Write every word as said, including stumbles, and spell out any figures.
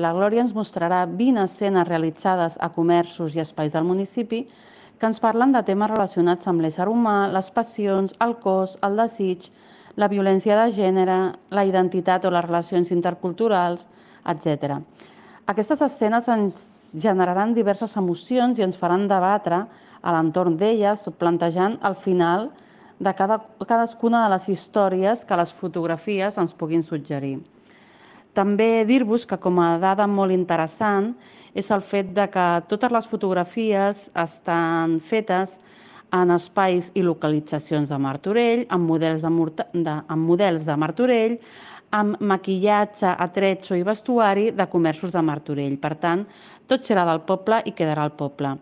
La Glòria ens mostrarà vint escenes realitzades a comerços i espais del municipi que ens parlen de temes relacionats amb l'ésser humà, les passions, el cos, el desig, la violència de gènere, la identitat o les relacions interculturals, etcètera. Aquestes escenes ens generaran diverses emocions i ens faran debatre a l'entorn d'elles, tot plantejant el final de cada, cadascuna de les històries que les fotografies ens puguin suggerir. També dir-vos que com a dada molt interessant és el fet de que totes les fotografies estan fetes en espais i localitzacions de Martorell, amb models de, de, amb models de Martorell, amb maquillatge, atretzo i vestuari de comerços de Martorell. Per tant, tot serà del poble i quedarà al poble.